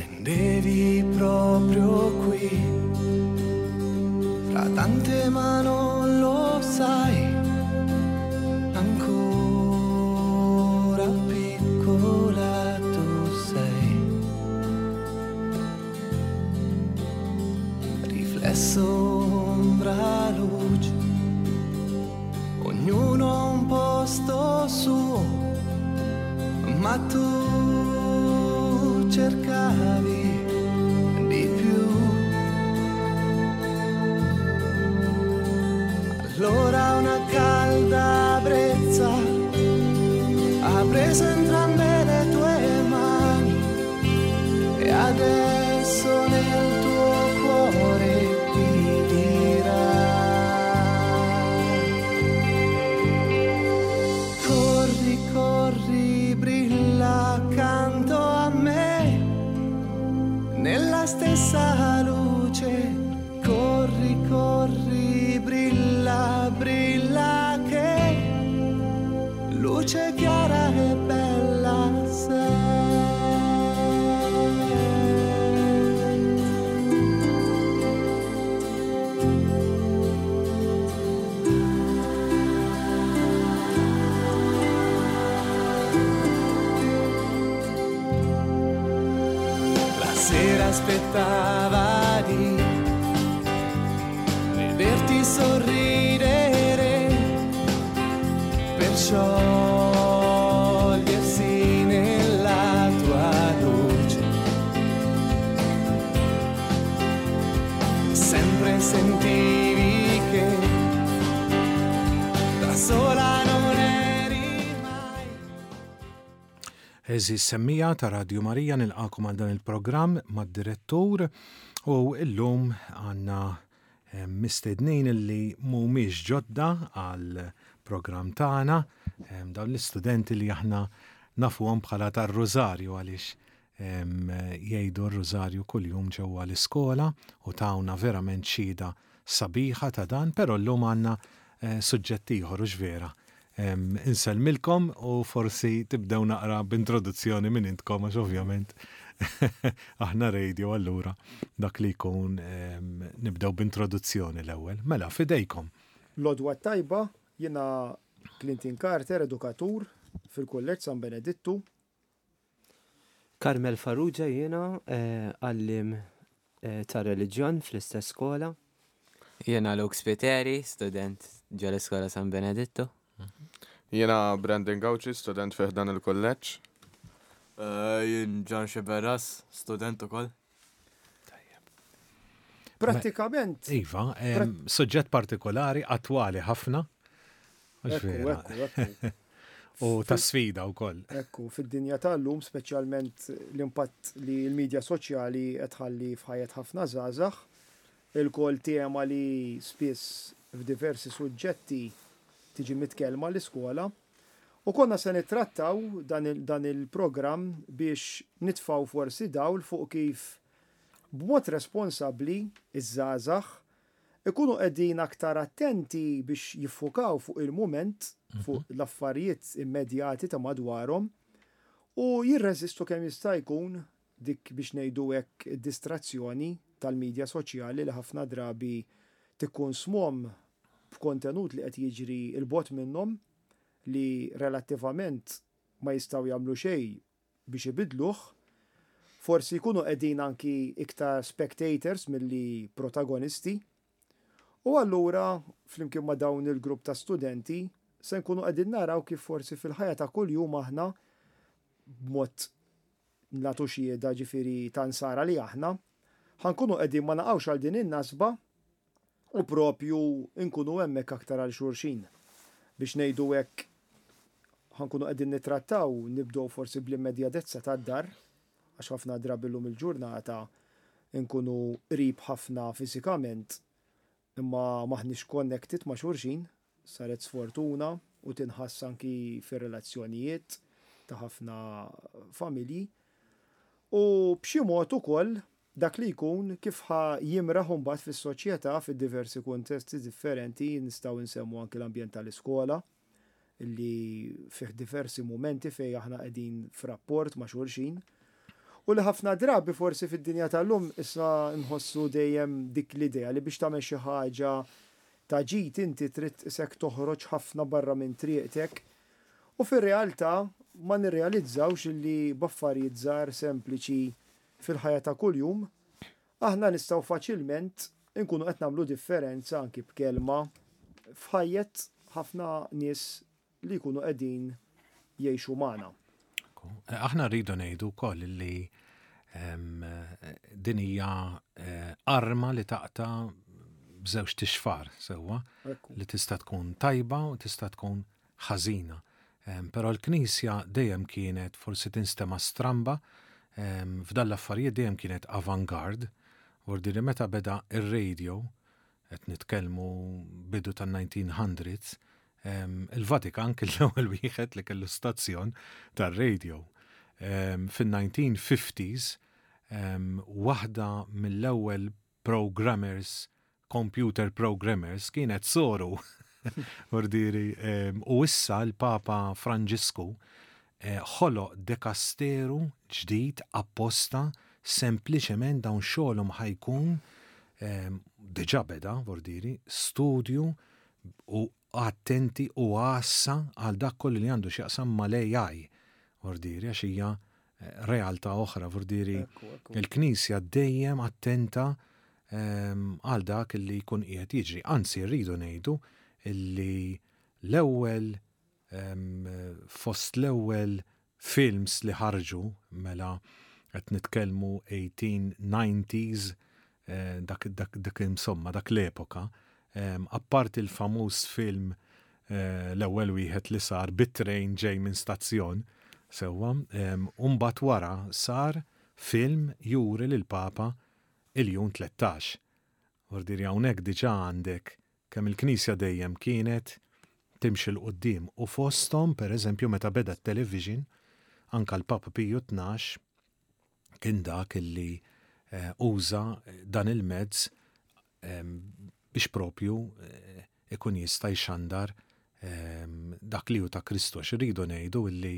Attendevi proprio qui, fra tante ma non lo sai, ancora piccola tu sei. Riflesso, ombra, luce, ognuno ha un posto suo, ma tu cercavi di più. Allora una calda brezza ha preso entrambe le tue mani e adesso nel tuo cuore ti dirà. Corri, corri, brilla accanto a me, nella stessa luce. Corri, corri, brilla, brilla che luce chiara e bella sei. La sera aspettava di vederti sorridere per sciogliersi nella tua luce. Sempre sentivi che da sola non eri mai. Għeżież semmiegħa ta' Radju Marija nilqagħkom għal dan il-programm mad-direttur u illum għandna mistednin li mhumiex ġodda għal programm tagħna, dawn l-istudenti li aħna nafuhom bħala tar-Rużarju għaliex jgħidu r-Rużarju kuljum ġewwa l-iskola u tawna verament xhieda sabiħa ta' dan, però llum għandna suġġett ieħor, hux vera? Insellmilkom u forsi tibdew naqra b'introduzzjoni minn intkom għax ovvjament aħna radio allura dak li jkun nibdew b'introduzzjoni l-ewwel. Mela, f'idejkom. L-għodwa t-tajba, jiena Clinton Carter, edukatur fil-Kulleġġ San Benedittu. Carmel Farrugia jiena, għalliem tar-reliġjon fl-istess skola. Jiena Luke Spiteri, student ġo l-Iskola San Benedittu. Jiena Brandon Gauci, student fi ħdan il-kulleġġ. Jien John Sciberras, student ukoll. Tajjeb. Prattikament. Iva, suġġett partikolari, attwali ħafna. Ekku, ekku, ekku. U ta' sfida wkoll. Ekku, fid-dinja tal-lum, speċjalment l-impatt li l-medja soċjali qed tħalli f'ħajjet ħafna żgħażagħ, ilkoll tema li spiss f'diversi suġġetti tiġi mitkellma l-iskola. U konna se nittrattaw dan il-programm biex nitfgħu forsi dawl fuq kif b'mod responsabbli ż-żgħażagħ ikunu qegħdin aktar attenti biex jiffukaw fuq il-mument, fuq l-affarijiet immedjati ta' madwarhom u jirreżistu kemm jista' jkun dik biex ngħidu hekk id-distrazzjoni tal-midja soċjali li ħafna drabi tikkonsmhom b'kontenut li qed jiġri 'l bogħod minnhom li relattivament ma jistgħu jagħmlu xejn biex ibiddluh. Forsi jkunu qegħdin anki iktar spectators milli protagonisti. U allura, flimkien ma' dawn il-grupp ta' studenti, se nkunu qegħdin naraw kif forsi fil-ħajja ta' kuljum aħna, b'mod nagħtu xhieda ġifieri ta' Nsara li aħna, ħa nkunu qegħdin ma naqgħux għal din in-nasba u propju nkunu hemmhekk aktar għal xulxin. Biex ngħidu hekk ħa nkunu qegħdin nittrattaw, nibdew forsi bl-immedjatezza tad-dar, għax ħafna drabi llum il-ġurnata nkunu qrib ħafna fiżikament imma m'aħniex connected ma' xulxin, saret sfortuna u tinħass anki fir-relazzjonijiet ta' ħafna familji. U b'xi mod ukoll dak li jkun kif ħa jimraħ imbagħad fis-soċjetà fid-diversi kuntesti differenti, nistgħu nsemmu anki l-ambjent tal-iskola li fih diversi mumenti fejn aħna qegħdin f'rapport ma' xulxin. U li ħafna drabi forsi fid-dinja tal-lum issa nħossu dejjem dik l-idea li biex tagħmel xi ħaġa ta' ġid inti trid isek toħroġ ħafna barra minn triqtek. U fir-realtà ma nirrealizzawx li b'affarijiet żgħar sempliċi fil-ħajja ta' kuljum aħna nistgħu faċilment inkunu qed nagħmlu differenza anki b'kelma f'ħajjet ħafna nies li jkunu qegħdin jgħixu magħna. Aħna rridu ngħidu wkoll li din hija arma li taqta' b'żewġ tixfar sewwa li tista' tkun tajba u tista' tkun ħażina. Però l-Knisja dejjem kienet forsi tinstema' stramba f'dan l-affarijiet dejjem kienet avant-garde, vuol dire meta beda ir-radio, qed nitkellmu bidu tan-1900s, il-Vatikan kien l-ewwel wieħed li kellu stazzjon tar-radio. Fin-1950s waħda mill-ewwel programmers, computer programmers, kienet soru. Ordiri, u issa l-Papa Franġisku ħoloq dekasteru ġdid apposta sempliċement dawn xogħolhom ħa jkun diġà beda, vordiri, studju u attenti u għassa għal dak kollu li għandu x'jaqsam mal-AI, vordiri, għax hija realtà oħra, vordiri, il-Knisja dejjem attenta għal dak li jkun qiegħed jiġri. Anzi, rridu ngħidu li l-ewwel fost l-ewwel films li ħarġu, mela qed nitkellmu 1890s, dak, dak, dak insomma, dak l-epoka, apparti l-famuż film l-ewwel wieħed li sar bit-train ġej minn stazzjon, sewwa, u mbagħad wara sar film juri lill-Papa Iljun 13. Vuol dire hawnhekk diġà għandek kemm il-Knisja dejjem kienet timxi 'l quddiem u fosthom, per eżempju, meta beda t-television, anke l-Papa Piju 12 kien dak illi uża dan il-mezz biex propju ikun jista' jxandar dak li hu ta' Kristu għax irridu ngħidu illi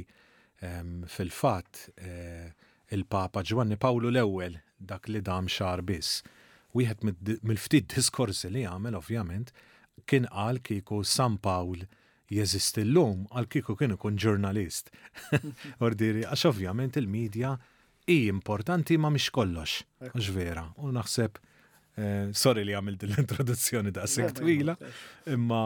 fil-fatt il-Papa Ġwanni Pawlu l-ewwel dak li dam xahar biss. Wieħed mill-ftit diskorsi li għamel ovvjament kien qal kieku San Pawl jeżisti llum għal kieku kien ikun ġurnalist. Ordiri, għax ovvjament il-medja hi importanti ma mhix kollox, mhux vera. U naħseb, eh, sorry li għamilt l-introduzzjoni daqshekk twila, imma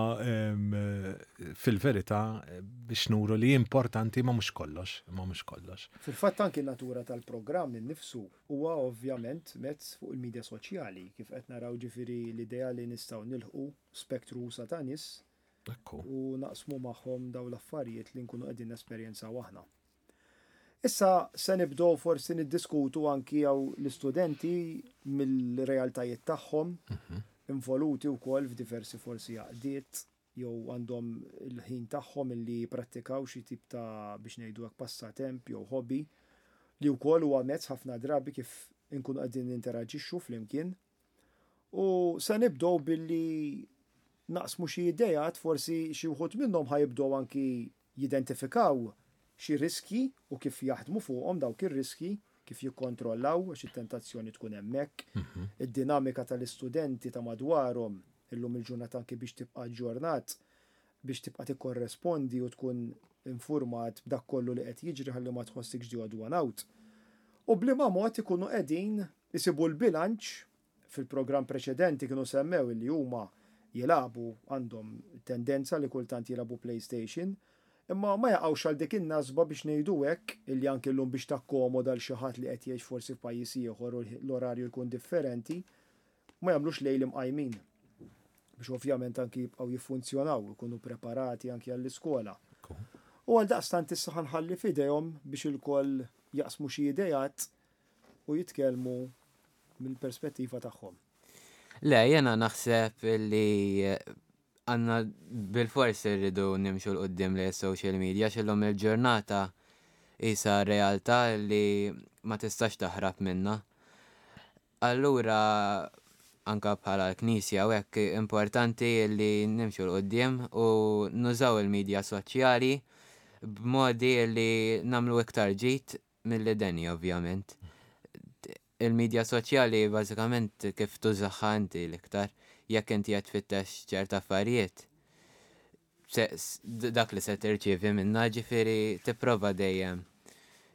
fil-verità eh, biex nuru li importanti ma mhux kollox, ma mhux kollox. Fil-fatt anki natura tal-programm innifsu huwa ovvjament mezz fuq il-medja soċjali, kif qed naraw ġifieri l-idea li nistgħu nilħqu spektru usa' ta' nies u naqsmu magħhom dawn l-affarijiet li nkunu qegħdin nesperjenzaw aħna. Issa se nibdew forsi niddiskutu anki hawn l-istudenti mill-realtajiet tagħhom, involuti wkoll f'diversi forsi għaqdiet jew għandhom il-ħin tagħhom illi jipprattikaw xi tip ta' biex ngħidu hekk passatemp jew hobby li wkoll huwa mezz ħafna drabi kif inkunu qegħdin ninteraġixxu flimkien. U se nibdew billi naqsmu xi ideat, forsi xi wħud minnhom ħa jibdew anki jidentifikaw xi riskji u kif jaħdmu fuqhom dawk ir-riskji, kif jikkontrollaw għax it-tentazzjoni tkun hemmhekk, id-dinamika tal-istudenti ta' madwarhom illum il-ġurnata anki biex tibqa' aġġornat, biex tibqa' tikkorrespondi u tkun infurmat b'dak kollu li qed jiġri ħalli ma tħossikx the odd one out. U b'liema mod ikunu qegħdin isibu l-bilanċ, fil-programm preċedenti kienu semmew illi huma jilagħbu, għandhom tendenza li kultant jilagħbu PlayStation, imma ma jaqgħux għal dik in-nasba biex ngħidu hekk, illi anki llum biex takkomoda 'l xi ħadd li qed jgħix forsi f'pajjiż ieħor u l-orarju jkun differenti, ma jagħmlux lejl imqajmin. Biex ovvjament anki jibqgħu jiffunzjonaw, ikunu preparati anki għall-iskola. U għaldaqstant issa ħa nħalli f'idejhom biex ilkoll jaqsmu xi ideat u jitkellmu mill-perspettiva tagħhom. Le, jena naħseb li għanna bil-fors irridu nimxu l-qoddim li social media xillum il-ġurnata isa realtà li ma tistax taħrab minna. Allura anka bħala l-Knisja u hekk importanti li nimxu l-qoddim u nużaw il-medja soċjali b'modi li namlu iktar ġid milli deni ovvjament. Il-midja soċjali bażikament kif tużaha inti l-iktar, jekk inti qed tfittex ċerta affarijiet, dak li se tirċievi minnha, ġifieri tipprova dejjem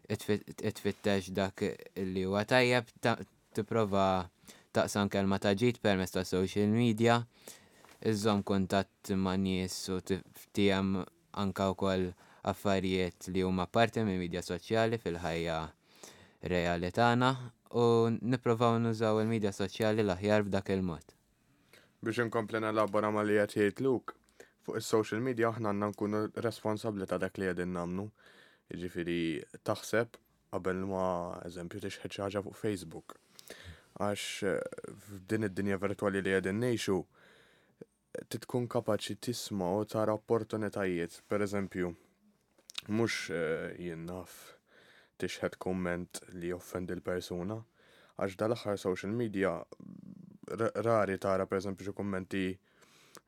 tfittex dak li huwa tajjeb, tipprova taqsam kelma ta' ġid permezz ta' social media, iżżomm kuntatt ma' nies u tiftiehem anke wkoll affarijiet li huma parti mill-midja soċjali fil-ħajja reali tagħna u nipprovaw nużaw il-midja soċjali l-aħjar b'dak il-mod. Biex inkompli nelabora ma' li qed jgħid Luke, fuq is-social media aħna għandna nkunu responsabbli ta' dak li qegħdin nagħmlu. Jiġifieri taħseb qabel ma eżempju tixħet xi ħaġa fuq Facebook. Għax eh, f'din id-dinja virtwali li qegħdin ngħixu, trid tkun kapaċi tisma' u tara opportunitajiet. Per eżempju, mhux eh, jien naf tixħet kumment li joffendi l-persuna, għax dal-aħħar social media rari tara per eżempju xi kummenti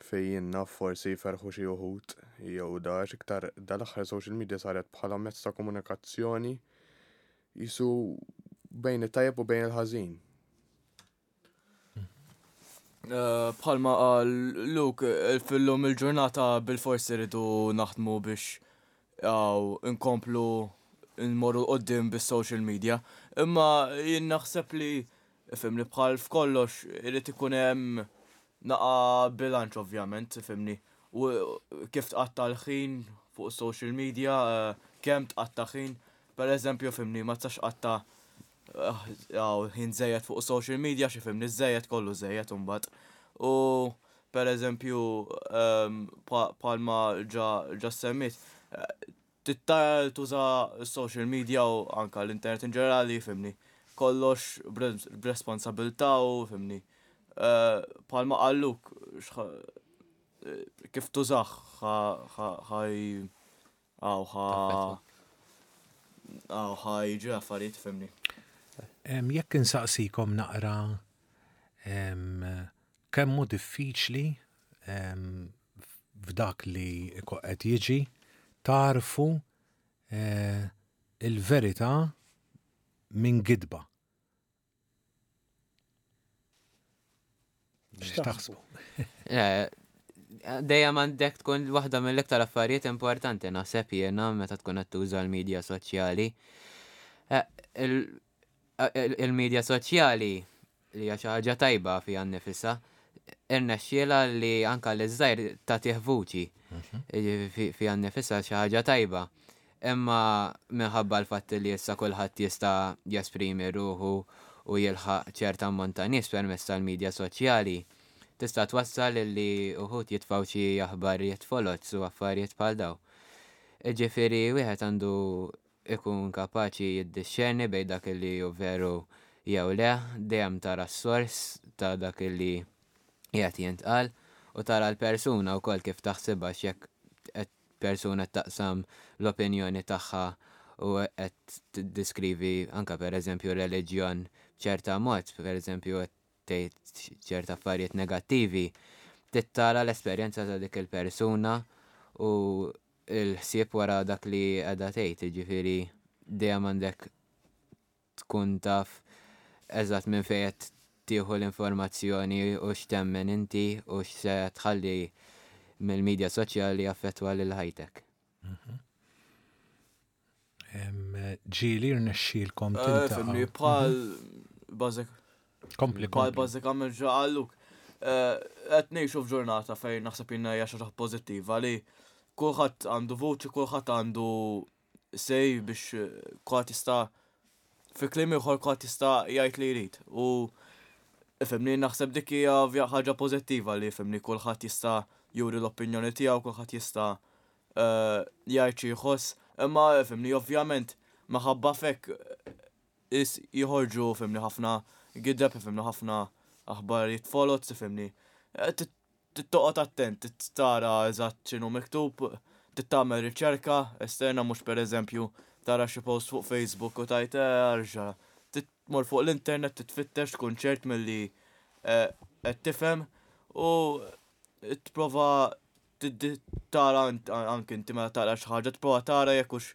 fejn jien naf forsi jferħu xi uħud jew da għax iktar dal-aħħar social media saret bħala mezz ta' komunikazzjoni jisu bejn it-tajjeb u bejn il-ħażin. Eh, bħalma qal Luke, eh, fil-lum il-ġurnata bil-forsi rridu naħdmu biex għaw inkomplu nmorru qoddim bis-social media. Imma jien naħseb li fimni bħal f'kollox irid ikun hemm naqa bilanċ ovvjament, fimni. U kif tqatta' l-ħin fuq social media, eh, kemm tqatta' ħin, per eżempju, fimni, ma tistax tqatta' ħin żejjed fuq social media xi fimni żejjed kollu żejjed imbagħad. U per eżempju ehm, bħalma ġa semmit, tittar tuża social media u anka l-internet in ġenerali fimni. Kollox b'responsabilità u fimni. Eh, bħalma qalluk kif tużax ħaj Aw ħa. Aw ħa jiġu affarijiet fimni. Jekk insaqsikom naqra kemm hu diffiċli f'dak li qed jiġi tarfu eh, il-verità minn gidba. X'taħsbu? Eh, dejjem għandek tkun waħda mill-iktar affarijiet importanti naħseb jiena meta tkun qed tuża l-medja soċjali. Eh, eh, il-medja soċjali li hija xi ħaġa tajba fiha nnifisha, irnexxiela li anka li żgħir tagħtih vuċi mhm. fiha nnifisha xi ħaġa tajba. Imma minħabba l-fatt li issa kulħadd jista' jesprimi ruħu u jilħaq ċert ammont ta' nies permezz tal-midja soċjali, tista' twassal li uħud jitfgħu xi aħbarijiet foloz u affarijiet bħal dawn. Jiġifieri wieħed għandu jkun kapaċi jiddixxerni bejn dak li hu veru jew le, dejjem tara s-sors ta' dak li qiegħed jintqal u tara l-persuna wkoll kif taħsibha x'jekk qed persuna qed taqsam l-opinjoni tagħha u qed tiddiskrivi anke pereżempju reliġjon b'ċerta mod, pereżempju qed tgħid ċerta affarijiet negattivi, trid tara l-esperjenza ta' dik il-persuna u l-ħsieb wara dak li qiegħda tgħid, jiġifieri dejjem għandek tkun taf eżatt minn fejn qed tieħu l-informazzjoni u x'temmen inti u x'se tħalli mill-midja soċjali jaffettwa lil ħajtek. Mhm. Ġieli rnexxielkom eh, tiltaqgħu. Fimni bħal mhm. bażik. Kompli. Bħal bażikament ġa qalluk. Eh, qed ngħixu f'ġurnata fejn naħseb jiena hija xi ħaġa pożittiva li kulħadd għandu vuċi, kulħadd għandu say biex kulħadd jista' fi kliem ieħor kulħadd jista' jgħid li jrid. U ifhimni naħseb dik hija ħaġa pożittiva li ifhimni kulħadd jista' juri l-opinjoni tiegħu, kulħadd jista' eh, jgħid xi jħoss. Imma ifhimni ovvjament minħabba f'hekk is joħorġu ifhimni ħafna gideb, ifhimni ħafna aħbarijiet foloz, ifhimni. Eh, Trid toqgħod attent, trid tara eżatt x'inhu miktub, trid tagħmel riċerka esterna mhux pereżempju tara xi post fuq Facebook u tgħid eh ara x'ġara. Trid tmur fuq l-internet trid tfittex tkun ċert milli qed tifhem u tipprova tara anke inti meta taqra xi ħaġa tipprova tara jekk hux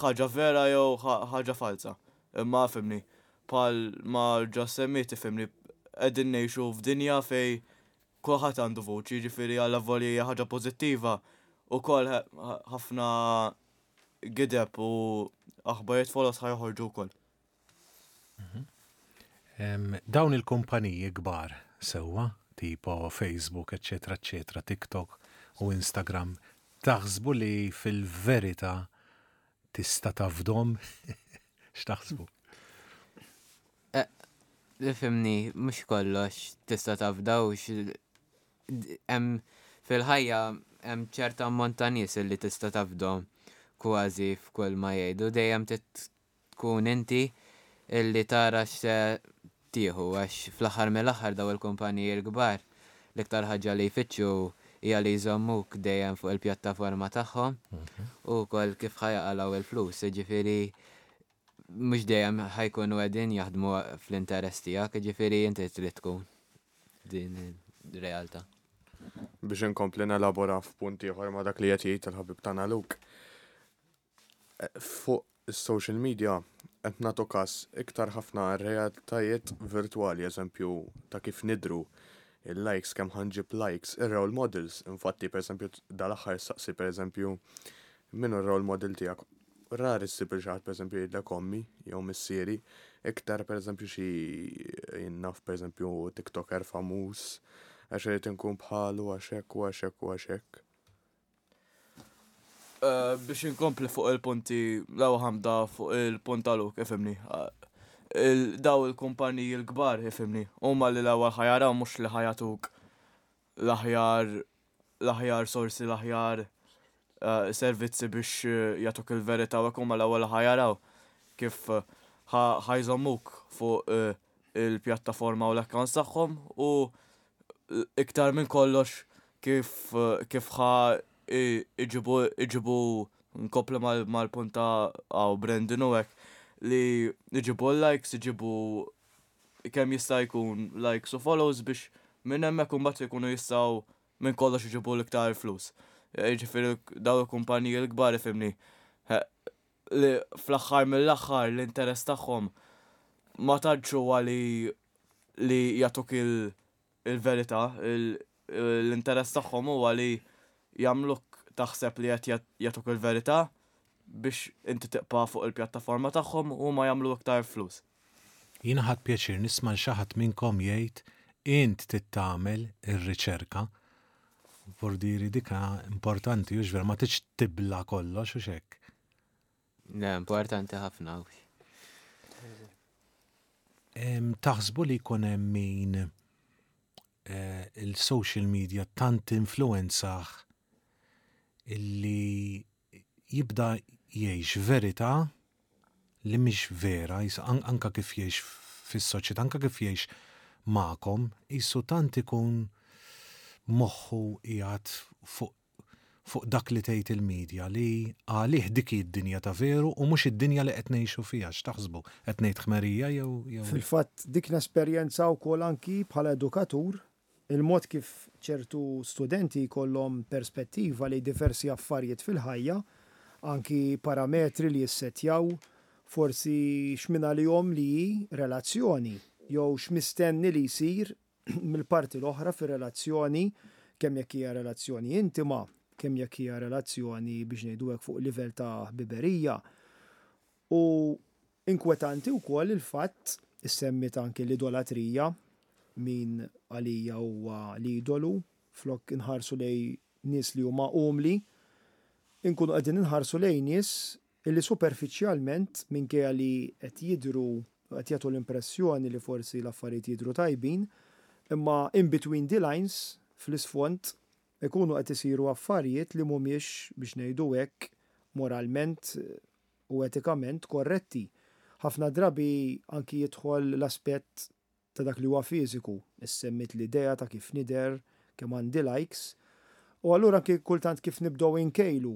ħaġa vera jew ħaġa falza. Imma fhimni. Bħal ma ġa semmiet ifhimni qegħdin ngħixu f'dinja fejn kulħadd għandu vuċi, jiġifieri allavolja hija ħaġa pożittiva ukoll ħafna gideb u aħbarijiet foloz ħa joħorġu wkoll. Dawn il-kumpaniji kbar sewwa, tipo Facebook, eċċetera, eċċetera, TikTok u Instagram, taħsbu li fil-verità tista' tafdhom? X'taħsbu? Eh, Ifhimni, mhux kollox tista' tafda u hemm fil-ħajja hemm ċerta ammont ta' nies li tista' tafdhom kważi f'kull ma jgħidu. Dejjem tkun inti illi tara x'se tieħu għax fl-aħħar mill-aħħar daw il-kumpaniji l-kbar l-iktar ħaġa li jfittxu hija li jżommuk dejjem fuq il-pjattaforma tagħhom u wkoll kif ħa jaqalgħu il-flus, jiġifieri mhux dejjem ħa jkunu qegħdin jaħdmu fl-interess tiegħek, jiġifieri inti trid tkun din ir-realtà. Biex inkompli nelabora f'punt ieħor ma' dak li qed jgħid il-ħabib tagħna Luke. Fuq is-social media qed nagħtu każ iktar ħafna realtajiet virtwali, eżempju ta' kif nidhru, il-likes, kemm ħa nġib likes, ir-role models, infatti pereżempju dal-aħħar saqsi pereżempju min hu r-role model tiegħek. Rari ssib lil xi ħadd pereżempju jgħidlek ommi jew missieri, iktar pereżempju xi jien naf pereżempju TikToker famuż għax irid inkun bħalu għax hekk u għax hekk u għax hekk. Eh, biex inkompli fuq il-punti l-ewwel ħamda fuq il-punt ta' Luke, ifhimni. Eh, daw il-kumpaniji l-kbar, ifhimni, huma li l-ewwel ħa jaraw mhux li ħa jagħtuk l-aħjar l-aħjar sorsi, l-aħjar eh, servizzi biex jagħtuk il-verità u hekk huma l-ewwel ħa jaraw kif ħa jżommuk fuq il-pjattaforma u l-accounts tagħhom u iktar minn kollox kif kif ħa iġibu iġibu nkompli mal-punt ta' għaw Brandon u hekk li iġibu l-likes, iġibu kemm jista' jkun likes u follows biex minn hemmhekk imbagħad ikunu jistgħu minn kollox iġibu l-iktar flus. Jiġifieri dawn il-kumpaniji l-kbar ifhimni li fl-aħħar mill-aħħar l-interess tagħhom ma tantx huwa li li jagħtuk il-verità, l-interess tagħhom huwa li jagħmluk taħseb li qed jagħtuk il-verità biex inti tibqa' fuq il-pjattaforma tagħhom u huma jagħmlu iktar flus. Jiena ħadt pjaċir nisma' 'l xi ħadd minnkom jgħid int trid tagħmel ir-riċerka. Vordieri dika importanti hux vera ma tridx tibla' kollox hux hekk? Le, importanti ħafna hux. Taħsbu li jkun hemm min eh, il-social media tant influenzah illi jibda jgħix verità li mhix vera, anka kif jgħix fis-soċjetà, anka kif jgħix magħkom, qisu tant ikun moħħu qiegħed fuq fuq dak li tgħid il-media li għalih dik hi d-dinja ta' veru u mhux id-dinja li qed ngħixu fiha. X'taħsbu? Qed ngħid ħmerija jew jew. Fil-fatt dik nesperjenza wkoll anki bħala edukatur, il-mod kif ċertu studenti jkollhom perspettiva lejn diversi affarijiet fil-ħajja, anki parametri li jissettjaw, forsi x'mingħalihom li hi relazzjoni jew x'mistenni li jsir mill-parti l-oħra fir-relazzjoni, kemm jekk hija relazzjoni intima, kemm jekk hija relazzjoni biex ngħidu hekk fuq livell ta' ħbiberija. U inkwetanti wkoll il-fatt, issemmiet anki l-idolatrija, min għalija huwa l-idolu, flok inħarsu lejn nies li huma umli, inkunu qegħdin inħarsu lejn nies illi superfiċjalment, minkejja li qed jidhru, qed jagħtu l-impressjoni li forsi l-affarijiet jidhru tajbin, imma in between the lines, fl-isfond, ikunu qed isiru affarijiet li mhumiex, biex ngħidu hekk, moralment u etikament korretti. Ħafna drabi anki jidħol l-aspett ta' dak li huwa fiżiku, issemmiet l-idea ta' kif nidher, kemm għandi likes, u allura anki kultant kif nibdew inkejlu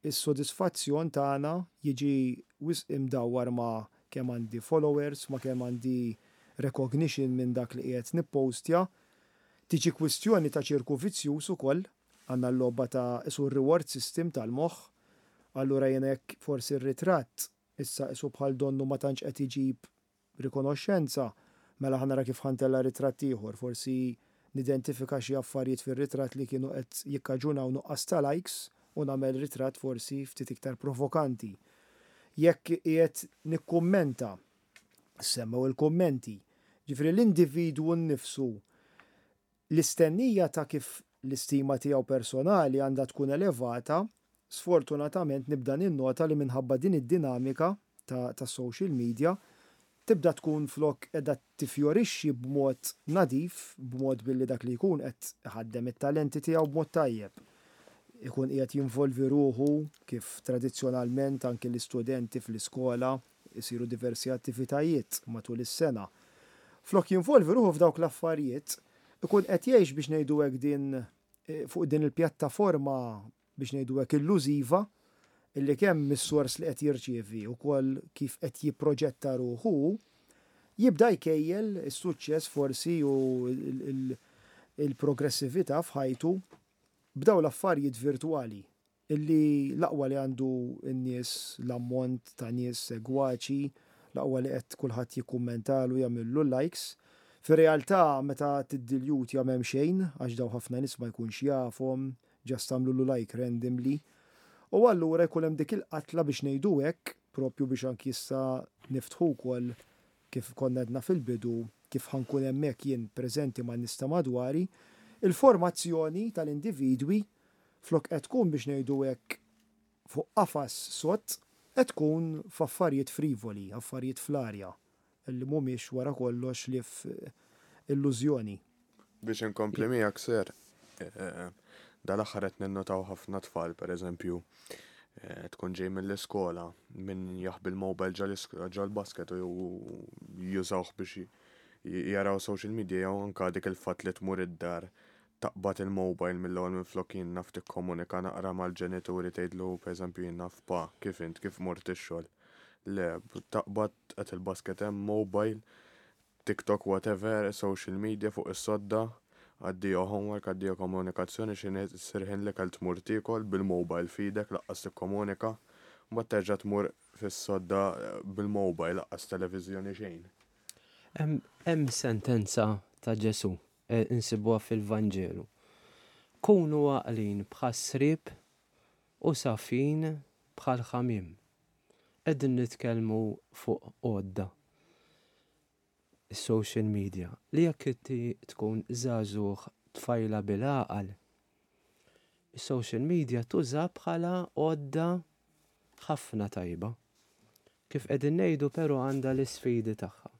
is-sodisfazzjon tagħna jiġi wisq imdawwar ma' kemm għandi followers, ma' kemm għandi recognition minn dak li qiegħed nippostja. Tiġi kwistjoni ta' ċirku vizzjuż ukoll, għandna l-logħba ta' qisu r-reward system tal-moħħ, allura jiena jekk forsi r-ritratt issa qisu bħal donnu ma tantx qed iġib. rikonoxxenza, mela ħa nara kif ħa ntella' ritratt ieħor, forsi nidentifika xi affarijiet fir-ritratt li kienu qed jikkaġunaw nuqqas ta' likes u nagħmel ritratt forsi ftit iktar provokanti. Jekk qiegħed nikkummenta, semmew il-kummenti, ġifieri l-individwu nnifsu L-istennija ta' kif l-istima tiegħu personali għandha tkun elevata, sfortunatament nibda ninnota li minħabba din id-dinamika ta' tas-social media, tibda tkun flok qiegħda tifjorixxi b'mod nadif, b'mod billi dak li jkun qed iħaddem it-talenti tiegħu b'mod tajjeb. Ikun qiegħed jinvolvi ruħu kif tradizzjonalment anki l-istudenti fl-iskola isiru diversi attivitajiet matul is-sena. Flok jinvolvi ruħu f'dawk l-affarijiet, ikun qed jgħix biex ngħidu hekk din fuq din il-pjattaforma biex ngħidu hekk illużiva illi kemm mis-sors li qed jirċievi ukoll kif qed jipproġetta ruħu hu, jibda jkejjel is-suċċess forsi u l-progressività f'ħajtu b'dawn l-affarijiet virtwali. Illi l-aqwa li għandu n-nies, l-ammont ta' nies segwaċi, l-aqwa li qed kulħadd jikkummentalu, jagħmillu likes. Fir-realtà meta tiddiljutja m'hemm xejn għax dawn ħafna nies ma jkunx jafhom, just għamlulu like randomly. U allura jkun hemm dik il-qatla biex ngħidu hekk, propju biex anki issa niftħu wkoll kif konna għedna fil-bidu, kif ħa nkun hemmhekk jien preżenti man-nies ta' madwari, il-formazzjoni tal-individwi Flok qed tkun biex ngħidu hekk fuq qafas sod, qed tkun f'affarijiet frivoli, affarijiet fl-arja, li mhumiex wara kollox ħlief illużjoni. Biex inkompli miegħek Sir, dal-aħħar qed ninnotaw ħafna tfal, pereżempju, tkun ġej mill-iskola, min jaħbi l-mobile ġol-basket u jużawh biex jaraw social media jew anke dik il-fatt li tmur id-dar taqbad il-mobile mill-ewwel minflok jien naf tikkomunika naqra mal-ġenituri tgħidlu pereżempju jien naf pa kif int kif mort ix-xogħol. Le, taqbad qed il-basket hemm mobile, TikTok whatever, social media fuq is-sodda, addio homework, addio komunikazzjoni x'inhi ssir ħin l-ikel tmur tiekol bil-mobile f'idek laqqas tikkomunika, mbagħad terġa' tmur fis-sodda bil-mobile laqqas televiżjoni xejn. Hemm sentenza ta' Ġesù Insibuha fil-Vanġelu. Kunu għaqlin bħas-sriep u safjin bħall-ħamiem. Qegħdin nitkellmu fuq għodda, is-social media, li jekk inti tkun żagħżugħ tfajla bil-għaqal, is-social media tuża bħala għodda ħafna tajba. Kif qegħdin ngħidu però għandha l-isfidi tagħha.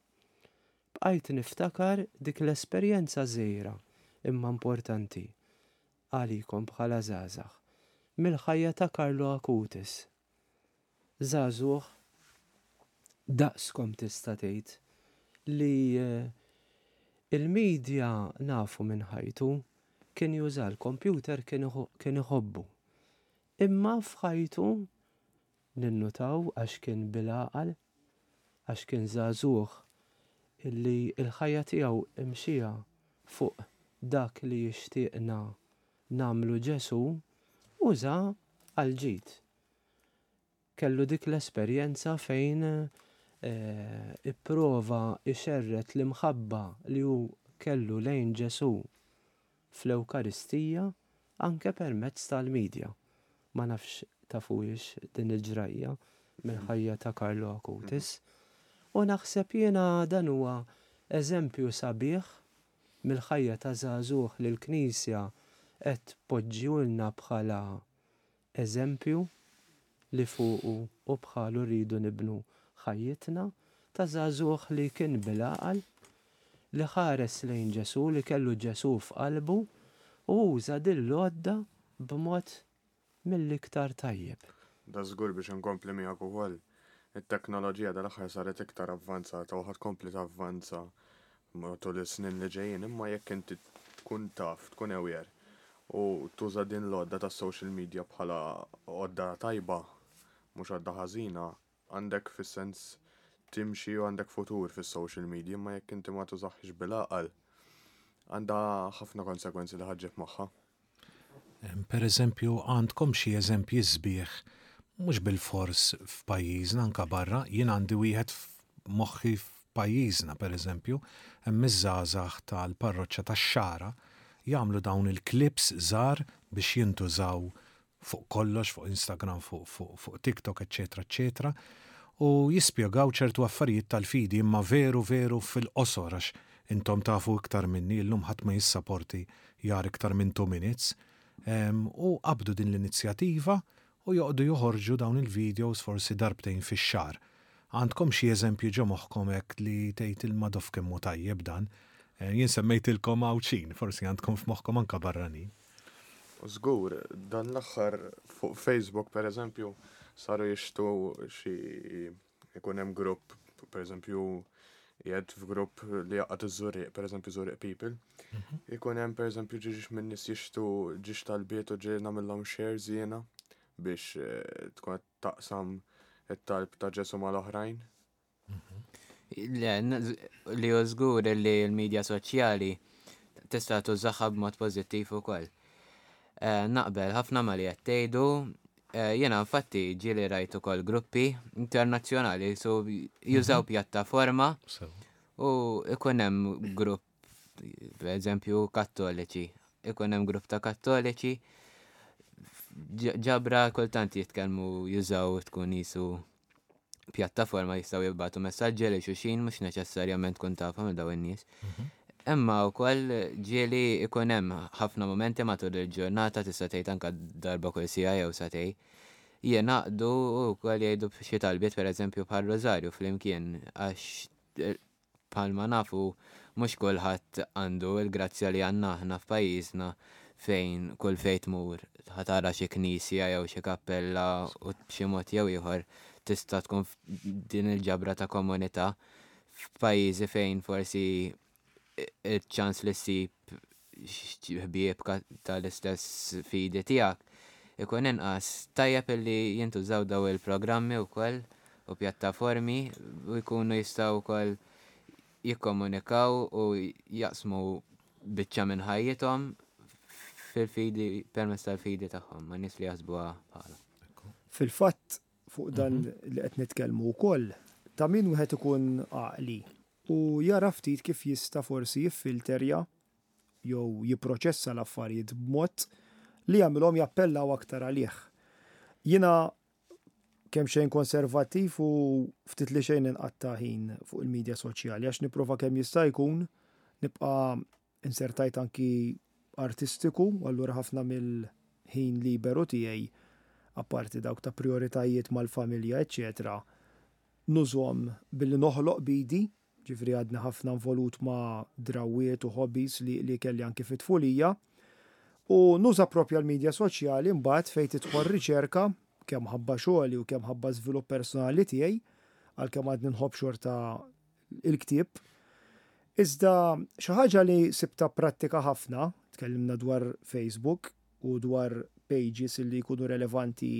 Bqajt niftakar dik l-esperjenza żgħira imma importanti għalikom bħala żgħażagħ, mill-ħajja ta' Carlo Acutis. Żagħżugħ daqskom tista' tgħid li l-media nafu minn ħajtu, kien juża l-kompjuter kien iħobbu. Imma f'ħajtu Ninnutaw għax kien bil-għaqal, għax kien żagħżugħ illi l-ħajja tiegħu imxieha fuq dak li jixtieqna nagħmlu Ġesù, uża għall-ġid. Kellu dik l-esperjenza fejn ipprova jxerred l-imħabba li hu kellu lejn Ġesù fl-Ewkaristija anke permezz tal-media. Ma nafx tafuhiex din il-ġrajja mill-ħajja ta' Carlo Acutis. U naħseb jiena dan huwa eżempju sabiħ mill-ħajja ta' żagħżugħ li l-Knisja qed tpoġġihulna bħala eżempju li fuqu u bħalu rridu nibnu ħajjitna, ta' żagħżugħ li kien bil-għaqal, li ħares lejn Ġesù, li kellu Ġesù f'qalbu u uża din l-għodda b'mod mill-iktar tajjeb. Dażgur biex inkompli miegħek ukoll, it-teknoloġija dal-aħħar saret iktar avvanzata u ħa tkompli tavvanza matul is-snin li ġejjin, imma jekk inti tkun taf, tkun aware u tuża din l-għodda tas-social media bħala għodda tajba, mhux għodda ħażina, għandek fis-sens timxi u għandek futur fis-social media, imma jekk inti ma tużahiex bil-għaqal, għandha ħafna konsegwenzi li ħa ġġib magħha. Per eżempju, għandkom xi eżempji sbieħ mhux bilfors f'pajjiżna anka barra, jien għandi wieħed f'moħħi. f'pajjiżna pereżempju, hemm iż-żgħażagħ tal-parroċċa tax-Xagħra jagħmlu dawn il-clips żgħar biex jintużaw fuq kollox, fuq Instagram, fuq, fuq, fuq TikTok, eċċetera, eċċetera, u jispjegaw ċertu affarijiet tal-fidi imma veru veru fil-qosor għax intom tafu iktar minni illum ħadd ma jissaporti jara iktar minn 2 minutes. U qabdu din l-inizjattiva u joqogħdu joħorġu dawn il-videos forsi darbtejn fix-xahar. Għandkom xi eżempji ġo moħħkom hekk li tgħid il-Madoff kemm hu tajjeb dan? Jien semmejtilkom Għawdxin, forsi għandkom f'moħħkom anke barranin. Żgur, dan l-aħħar fuq Facebook per eżempju saru jixtu xi ikun hemm grupp, per eżempju qiegħed f'grupp li jaqgħad iż-Żurrieq, per eżempju Żurrieq People. Ikun hemm per eżempju ġiex minn nies jixtu ġiex talbiet u ġie nagħmilhom shares jiena biex eh, tkun qed taqsam it-talb ta' Ġesu mal-oħrajn. Le, li hu żgur li l-medja soċjali tista' tużaha b'mod pożittiv ukoll. Eh, naqbel ħafna ma li qed tgħidu, eh, jiena infatti ġieli rajt ukoll gruppi internazzjonali su jużaw pjattaforma u ikun hemm grupp per eżempju kattoliċi, ikun hemm grupp ta' kattoliċi ġabra kultant jitkellmu jużaw tkun jisu pjattaforma jistgħu jibgħatu messaġġi lil xulxin mhux neċessarjament tkun tafhom lil dawn in-nies. Imma wkoll ġieli ikun hemm ħafna mumenti matul il-ġurnata tista' tgħid anke darba kull siegħa jew sagħtejn jingħaqdu u wkoll jgħidu xi talbiet pereżempju bħal rożarju flimkien għax Bħalma nafu, mhux kulħadd għandu l-grazzja li għandna aħna f'pajjiżna fejn kull fejn tmur ħa tara xi knisja jew xi kappella u b'xi mod jew ieħor tista' tkun f'din il-ġabra ta' komunità. F'pajjiżi fejn forsi iċ-ċans li ssib ħbieb tal-istess fidi tiegħek ikun inqas, tajjeb illi jintużaw dawn il-programmi wkoll u pjattaformi u jkunu jistgħu wkoll jikkomunikaw u jaqsmu biċċa minn ħajjithom fil-fidi permezz tal-fidi tagħhom ma' nies li jaħsbuha bħalhom. Fil-fatt fuq dan li qed nitkellmu wkoll, ta' min wieħed ikun għaqli u jara ftit kif jista' forsi jiffilterja jew jipproċessa l-affarijiet b'mod li jagħmilhom jappellaw aktar għalih. Jiena kemxejn konservattiv u ftit li xejn inqatta' ħin fuq il-medja soċjali għax nipprova kemm jista' jkun nibqa' insertajt anki artistiku u allura ħafna mill-ħin liberu tiegħi apparti dawk ta' prioritajiet mal-familja eċċetera nużhom billi noħloq b'idi, ġifieri għadni ħafna involut ma' drawwiet u hobbies li, li kelli anki fit-tfulija. U nuża propja l-medja soċjali mbagħad fejn tidħol riċerka kemm ħabba xogħli u kemm ħabba żvilupp personali tiegħi, għalkemm għadni nħobb xorta il-ktieb. Iżda xi ħaġa li sibta prattika ħafna, tkellimna dwar Facebook u dwar pages li jkunu relevanti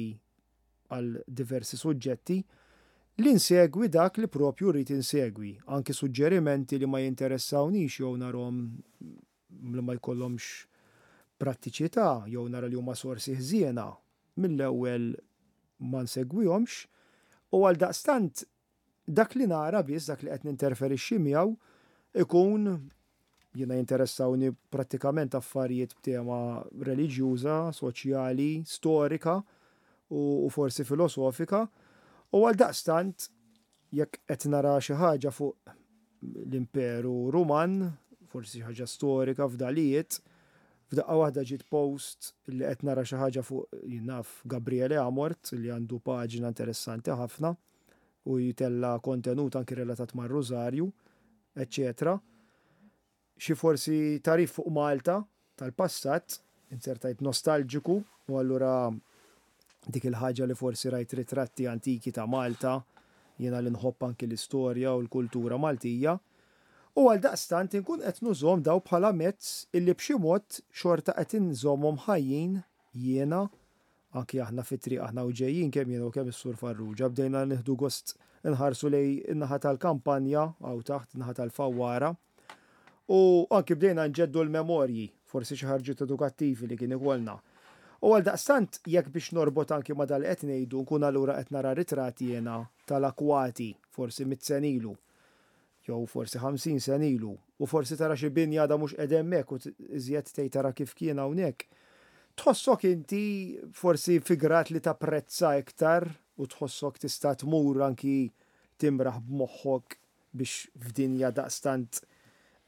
għal diversi suġġetti, li nsegwi dak li propju rrid insegwi, anki suġġerimenti li ma jinteressawnix jew narhom li ma jkollhomx prattiċità jew nara li huma sorsi ħżiena, mill-ewwel ma nsegwihomx u għaldaqstant Dak li nara biss, dak li qed ninterferixxi miegħu, ikun, jiena jinteressawni prattikament affarijiet b'tema reliġjuża, soċjali, storika u forsi filosofika, u għaldaqstant jekk qed nara xi ħaġa fuq l-Imperu Ruman, forsi xi ħaġa storika, fdalijiet, f'daqqa waħda ġiet post li qed nara xi ħaġa fuq, jien naf, Gabriele Amort li għandu paġna interessanti ħafna, u jtella' kontenut anki relatat mar-Rużarju, eċċetera Xi forsi tagħrif fuq Malta tal-passat, inzertajt nostalġiku u allura dik il-ħaġa li forsi rajt ritratti antiki ta' Malta, jiena li nħobb anki l-istorja u l-kultura Maltija, u għaldaqstant inkun qed nużhom dawn bħala mezz illi b'xi mod xorta qed inżommhom ħajjin jiena Anki aħna fit-triq aħna u ġejjin kemm jiena u kemm is-Sur Farrugia bdejna nieħdu gost inħarsu lejn in-naħa tal-kampanja hawn taħt, in-naħa tal-Fawwara. U anki bdejna nġeddu l-memorji, forsi xi ħarġiet edukattivi li kien ikollna. U għaldaqstant jekk biex norbot anki ma' dak li qed ngħidu nkun allura qed nara ritratt jiena tal-akwati forsi mitt sena ilu. jew forsi 50 sena ilu, u forsi tara xi binja għadha mhux qiegħda hemmhekk u iżjed tgħid tara kif kien hawnhekk, tħossok inti forsi fi grad li tapprezza iktar u tħossok tista' tmur anki timraħ b'moħħok biex f'dinja daqstant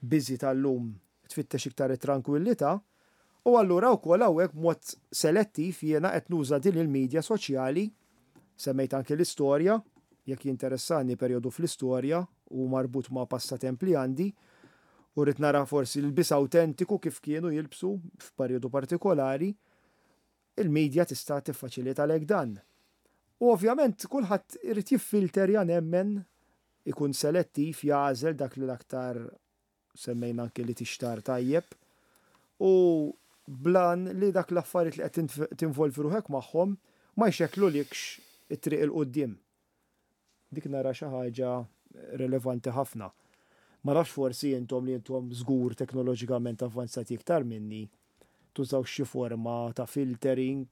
busy tal-lum tfittex iktar it-trankwillità, u allura wkoll hawnhekk b'mod selettiv jiena qed nuża din il-media soċjali, semmejt anki l-istorja, jekk jinteressani perjodu fl-istorja u marbut ma' passatemp li għandi, u rrid nara forsi l-lbies awtentiku kif kienu jilbsu f'perjodu partikolari, il-media tista' tiffaċilitalek dan. U ovvjament kulħadd irid jiffilterja nemmen, ikun selettiv, jagħżel dak li l-aktar semmejna anki li tixtar tajjeb u blan li dak l-affarijiet li qed tinvolvi ruħek magħhom ma jxekklulikx it-triq 'il quddiem. Dik nara xi ħaġa relevanti ħafna. Ma nafx forsi intom li intom żgur teknoloġikament avvanzati iktar minni, tużawx xi forma ta' filtering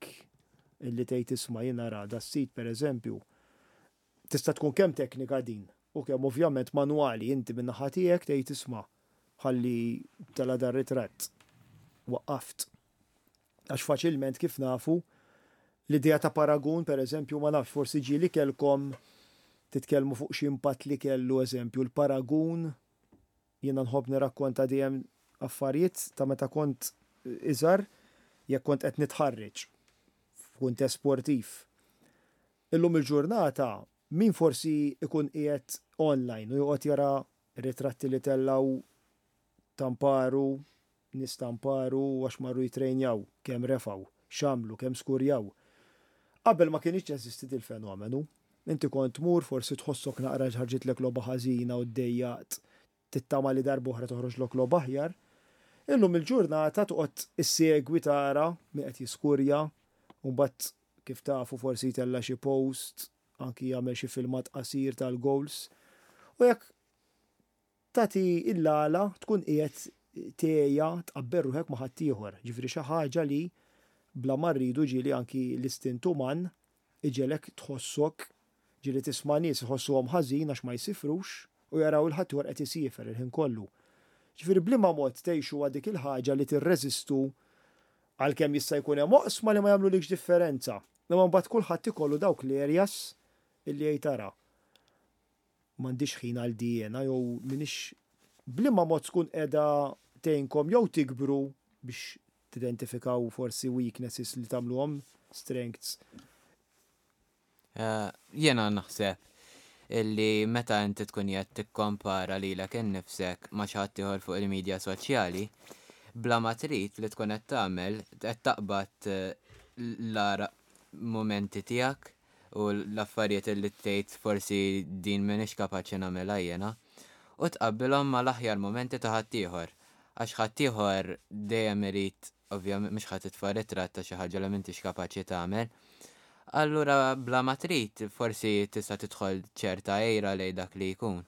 illi tgħid isma' jien nara das-sit pereżempju Tista' tkun kemm teknika din u kemm ovvjament manwali, inti min-naħa tiegħek tgħid isma' ħalli tela' dar-ritratt. Waqqaft. Għax faċilment kif nafu, l-idea ta' paragun pereżempju ma nafx forsi ġieli kellkom titkellmu fuq xi impatt li kellu eżempju l-paragun Jiena nħobb nirrakkonta dejjem affarijiet ta' meta kont iżgħar jekk kont qed nitħarreġ f'kuntest sportiv. Illum il-ġurnata min forsi jkun qiegħed online u joqgħod jara ritratti li tellgħu tamparu, nies tamparu għax marru jitrejnjaw, kemm refgħu, x'għamlu, kemm skurjaw. Qabel ma kinitx teżisti dil-fenomenu. Inti kont tmur, forsi tħossok naqra ħarġitlek logħba ħażina u ddejjaqt, tittama li darb'oħra toħroġlok logħba aħjar. Illum il-ġurnata toqgħod issegwi tara min qed jiskurja u mbagħad kif tafu forsi jtella' xi post, anki jagħmel xi filmat qasir tal-goals. U jekk tagħti l-għala tkun qiegħed tgħejja tqabbel ruħek ma' ħaddieħor. Ġifieri xi ħaġa li bla ma rridu ġieli anki l-istint uman iġegħlek tħossok, ġieli tisma' nies iħossuhom ħażin għax ma jsifrux u jaraw 'il ħaddieħor qed isiefer il-ħin kollu. Ġifieri b'liema mod tgħixuha dik il-ħaġa li tirreżistu għalkemm jista' jkun hemm oqsma li ma jagħmlulikx differenza. Imma mbagħad kulħadd ikollu dawk l-areas illi jgħid ara m'għandix ħin għal di jiena jew m'iniex b'liema mod tkun qiegħda tgħinkom jew tikbru biex tidentifikaw forsi weaknesses li tagħmluhom strengths. Jiena naħseb illi meta inti tkun qiegħed tikkompara lilek innifsek ma' xi ħadd ieħor fuq il-midja soċjali, bla ma trid li tkun qed tagħmel qed taqbad l-agħar mumenti tiegħek u l-affarijiet li tgħid forsi din m'iniex kapaċi nagħmilha jiena, u tqabbilhom mal-aħjar mumenti ta' ħaddieħor. Għax ħaddieħor dejjem irid, ovvjament mhux ħa titfa' ritratt ta' xi ħaġa li m'intix kapaċi tagħmel. Allura bla ma trid forsi tista' tidħol ċerta għira lejn dak li jkun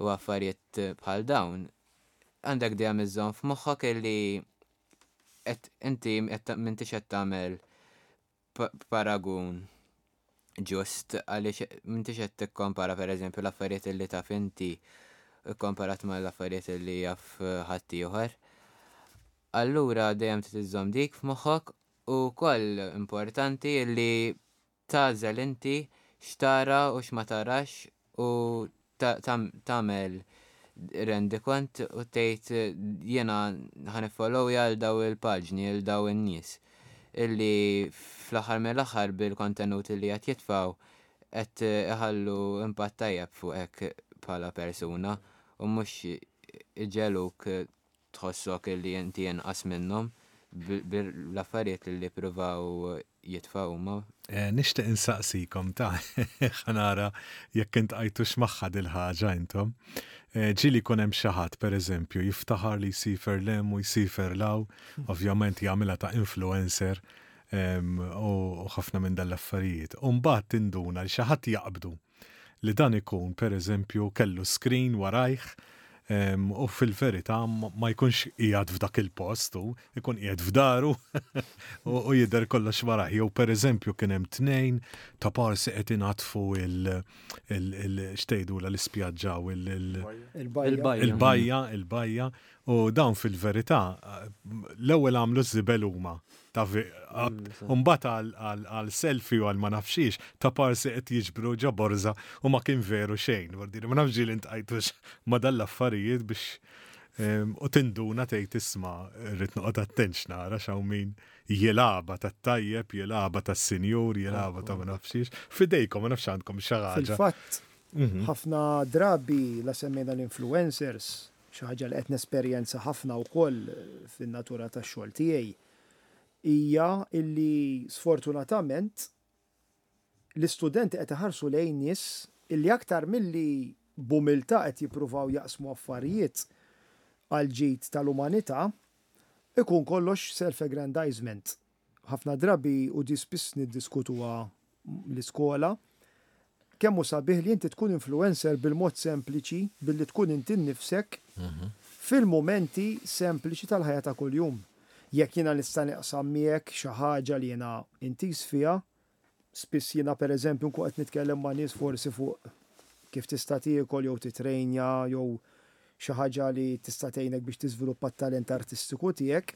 u affarijiet bħal dawn. Għandek dejjem iżżomm f'moħħok illi qed inti qed m'intix qed tagħmel paragun ġust għaliex m'intix qed tikkompara pereżempju l-affarijiet li taf inti kkomparat mal-affarijiet li jaf ħaddieħor. Allura dejjem trid iżżomm dik f'moħħok u wkoll importanti li tagħżel inti x'tara u x'ma tarax u tagħmel rendikont u tgħid jiena ħa niffollowja għal daw il-paġni, għal daw in-nies illi fl-aħħar mill-aħħar bil-kontenut li qed jitfgħu qed iħallu impatt tajjeb fuqek bħala persuna u mhux iġegħluk tħossok li inti inqas minnhom bl-affarijiet li jippruvaw jitfgħu huma. Nixtieq insaqsikom ta' ħa nara jekk intqajtux magħha dil-ħaġa intom. Ġieli jkun hemm xi ħadd pereżempju jiftaħar li jsiefer 'l hemm u jsiefer 'l hawn, ovvjament jagħmilha ta' influencer u ħafna minn dan l-affarijiet. U mbagħad tinduna li xi ħadd jaqbdu li dan ikun pereżempju kellu screen warajh U fil-verità ma jkunx qiegħed f'dak il-post hu, ikun qiegħed f'daru u jidher kollox warajh. Jew pereżempju kien hemm tnejn ta' parsi qed inaddfu il x'tgħidulha l-ispjaġġa u il-bajja. Il-bajja, il-bajja. U dawn fil-verità l-ewwel għamlu ż-żibel huma ta' mm, mbagħad għal selfie u għal ma nafxiex ta' parsi qed jiġbru ġo borża u ma kien veru xejn. Ma nafx ġieli ntqajtux ma dan l-affarijiet biex u tinduna tgħid isma' rrid noqgħod attent x'nara x'hawn min jilgħabha tat-tajjeb, jilgħabha tas-sinjur, jilgħabha ta' ma nafxiex. Fidejkom ma nafx għandkom xi ħaġa. Fil-fatt, mhm. ħafna drabi la semmejna l-influencers, xi ħaġa li qed nesperjenza ħafna wkoll fin-natura tax-xogħol tiegħi, hija illi sfortunatament l-istudenti qed iħarsu lejn nies illi aktar milli b'umiltà qed jippruvaw jaqsmu affarijiet għall-ġid tal-umanità, ikun kollox self-aggrandizement. Ħafna drabi, u di spiss niddiskutuha l-iskola, kemm hu sabiħ li inti tkun influencer bil-mod sempliċi, billi tkun inti nnifsek fil-mumenti sempliċi tal-ħajja ta' kuljum. Jekk jiena nista' naqsam miegħek xi ħaġa li jiena intiż fiha, spiss jiena pereżempju nkun qed nitkellem ma' nies forsi fuq kif tista' tiekol jew titrejnja jew xi ħaġa li tista' tgħinek biex tiżviluppa t-talent artistiku tiegħek,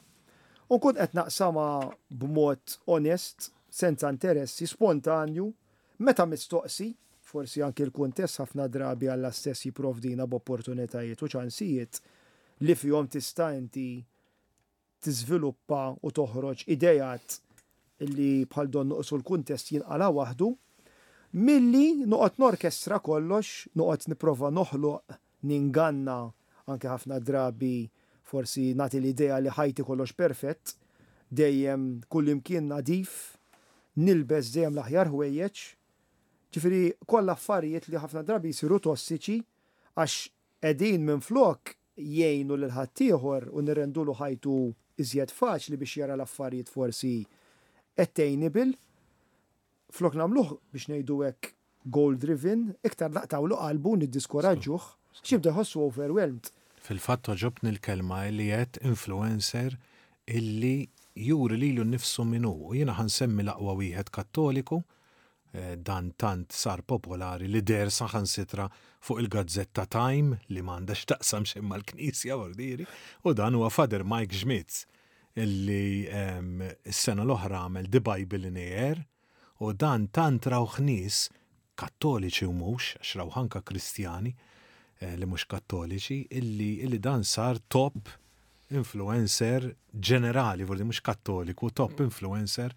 u nkun qed naqsamha b'mod onest, senza interessi, spontanju, meta mistoqsi, forsi anki l-kuntest ħafna drabi Alla stess jipprovdina b'opportunitajiet u ċansijiet li fihom tista' inti tiżviluppa u toħroġ ideat li bħal donnu qisu l-kuntest jinqala' waħdu, milli noqgħod norkestra kollox, noqgħod nipprova noħloq, ninganna, anke ħafna drabi forsi nagħti l-idea li ħajti kollox perfett, dejjem kullimkien nadif, nilbes dejjem l-aħjar ħwejjeġ. Ġifieri kollha affarijiet li ħafna drabi jsiru tossiċi għax qegħdin minflok jgħinu lil ħaddieħor u nirrendulu ħajtu iżjed faċli biex jara l-affarijiet forsi attainable, flok nagħmluh biex ngħidu hekk goal driven, iktar naqtgħulu qalbu u niddiskoraġġuh għax jibda jħossu overwhelmed. Fil-fatt togħġobni l-kelma li għedt influencer illi juri lilu nnifsu min hu u jiena ħa nsemmi l-aqwa wieħed Kattoliku Dan tant sar popolari li deher saħansitra fuq il-gazzetta Time li m'għandha x'taqsam xejn mal-Knisja vordieri, u dan huwa Father Mike Schmitz illi s-sena l-oħra għamel The Bible in Air u dan tant rawh nies Kattoliċi u mhux, għax rawh anke Kristjani li mhux Kattoliċi, illi dan sar top influencer ġenerali, vordi mhux Kattoliku, top influencer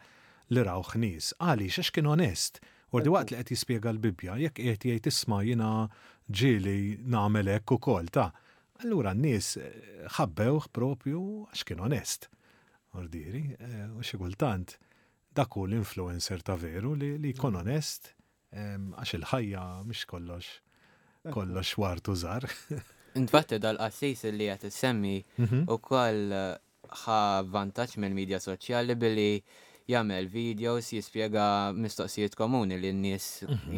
li rawh nies. Għaliex? Għax kien onest. Vordi waqt li qed jispjega l-Bibbja, jekk qiegħed jgħid isma' jiena ġieli nagħmel hekk ukoll ta'. Allura n-nies ħabbewh propju għax kien onest. Vordieri, u xi kultant dak hu l-influencer ta' veru li jkun onest Għax il-ħajja mhix kollox kollox ward u żgħar. Infatti dal-qassis li qed issemmi ukoll ħa vantaġġ mill-midja soċjali billi jagħmel videos jispjega mistoqsijiet komuni li n-nies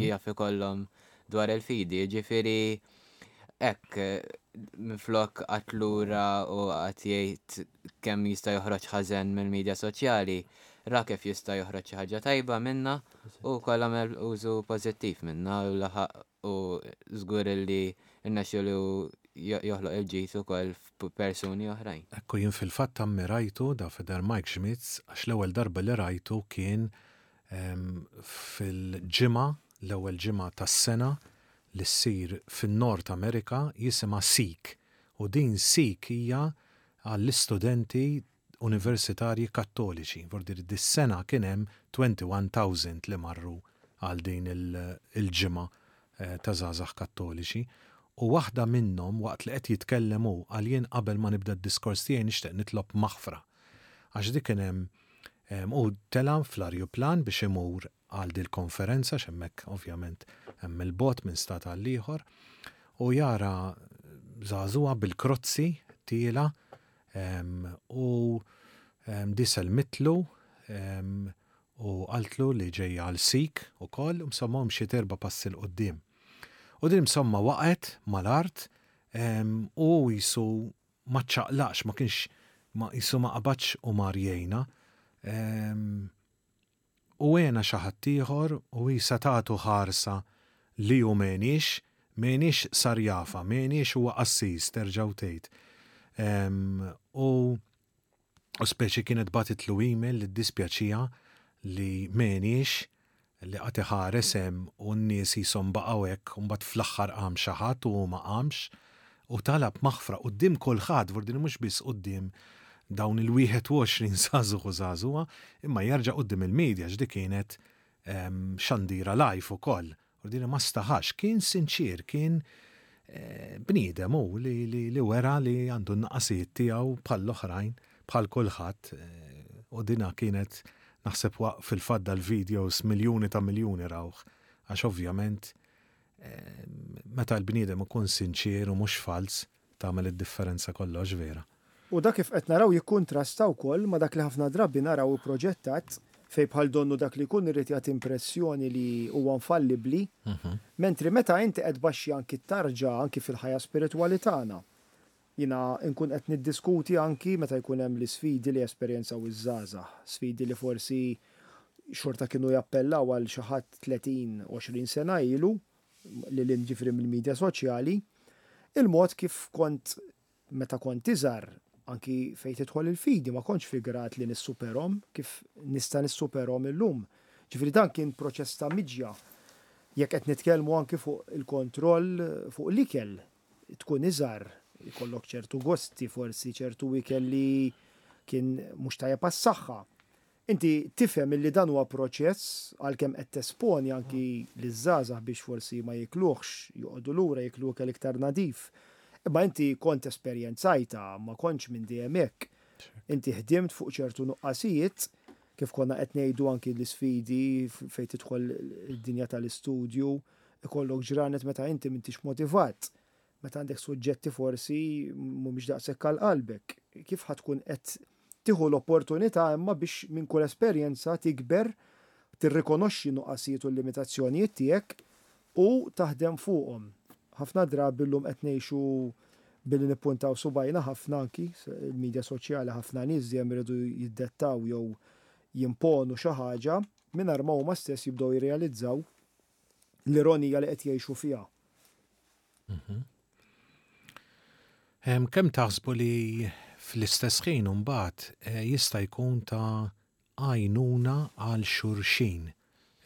jaf ikollhom dwar il-fidi. Jiġifieri hekk minflok qagħad lura u qagħad jgħid kemm jista' joħroġ ħażen mill-midja soċjali, ra kif jista' joħroġ xi ħaġa tajba minnha u wkoll għamel użu pożittiv minnha u laħaq u żgur li rnexxielu joħloq il-ġid ukoll f'persuni oħrajn. Ekku jien fil-fatt ammirajtu da Father Mike Schmitz għax l-ewwel darba li rajtu kien fil-ġimgħa, l-ewwel ġimgħa tas-sena li ssir fin-Nord Amerika jisimha Seek u din Seek hija għall-istudenti universitarji Kattoliċi. Vuol dire dis-sena kien hemm 21,000 li marru għal din il-ġimgħa ta' żgħażagħ Kattoliċi. U waħda minnhom waqt li qed jitkellem hu qal jien qabel ma nibda d-diskors tiegħi nixtieq nitlob maħfra. Għax dik kien hemm hu tela' fl-arjuplan biex imur għal dil-konferenza għax hemmhekk ovvjament hemm il-bogħod minn stat għal ieħor u jara żagħżugħa bil-krozzi tiela u di sellmitlu u qaltlu li ġejja għal Sikh ukoll u insomma u mxiet erba' passi 'l quddiem. U din insomma waqgħet mal-art. U hu qisu ma ċċaqlaqx, ma kienx ma qisu ma qabadx u mar jgħinha. U għenha xi ħadd ieħor u hi setgħatu ħarsa li hu m'għenhiex, m'għenhiex sar jafha, m'għenhiex huwa qassis terġa' u tgħid. U u speċi kienet bagħtitlu email li ddispjaċiha li m'għenhiex li qagħad iħares hemm u n-nies qishom baqgħu hekk u mbagħad fl-aħħar qam xi ħadd u hu ma qamx u talab maħfra quddiem kulħadd, vordini mhux biss quddiem dawn il-21 żagħżugħ u żagħżugħa, imma jerġa' quddiem il-media għax dik kienet xandira live ukoll. Vordini ma staħax, kien sinċier, kien bniedem hu li, li, li wera li għandu n-naqasijiet tiegħu bħall-oħrajn, bħal kulħadd, u dina kienet naħseb waqt fil-fatt dal-videos miljuni ta' miljuni rawh, għax ovvjament meta l-bniedem ikun sinċier u mhux falz, tagħmel id-differenza kollox vera. U dak kif qed naraw jikkuntrasta wkoll ma' dak li ħafna drabi naraw ipproġettat fejn bħal donnu dak li jkun irid jagħti impressjoni li huwa infallibbli, mentri meta inti qed tbaxxi anki t-tarġa anki fil-ħajja spiritwali tagħna. Jiena nkun qed niddiskuti anki meta jkun hemm l-isfidi li jesperjenzaw iż-żgħażagħ, sfidi li forsi xorta kienu jappellaw għal xi ħadd 30, 20 sena ilu, lil hinn ġifieri mill-midja soċjali, il-mod kif kont meta kont iżgħar, anki fejn tidħol il-fidi, ma kontx fi grad li nissuperhom kif nista' nissuperhom illum. Ġifieri dan kien proċess ta' miġja. Jekk qed nitkellmu anki fuq il-kontroll fuq l-ikel, tkun iżgħar, ikollok ċertu gosti, forsi ċertu ikel li kien mhux tajjeb għas-saħħa. Inti tifhem illi dan huwa proċess għalkemm qed tesponi anki liż-żgħażagħ biex forsi ma jikluhx, joqogħdu lura jiklu ikel iktar nadif. Imma inti kont esperjenzajtha, ma kontx minn dejjem hekk. Inti ħdimt fuq ċertu nuqqasijiet, kif konna qed ngħidu anki l-isfidi fejn tidħol id-dinja tal-istudju, ikollok ġranet meta inti m'intix motivat. Meta għandek suġġetti forsi mhumiex daqshekk għal qalbek, kif ħa tkun qed tieħu l-opportunità imma biex minn kull esperjenza tikber, tirrikonoxxi n-nuqqasijiet u l-limitazzjonijiet tiegħek u taħdem fuqhom. Ħafna drabi llum qed ngħixu billi nippuntaw subgħajna ħafna anki il-midja soċjali ħafna nies dejjem iridu jiddettaw jew jimponu xi ħaġa mingħajr ma huma stess jibdew jirrealizzaw l-ironija li qed jgħixu fiha. Mhm. Kemm taħsbu li fl-istess ħin imbagħad eh, jista' jkun ta' għajnuna għal xulxin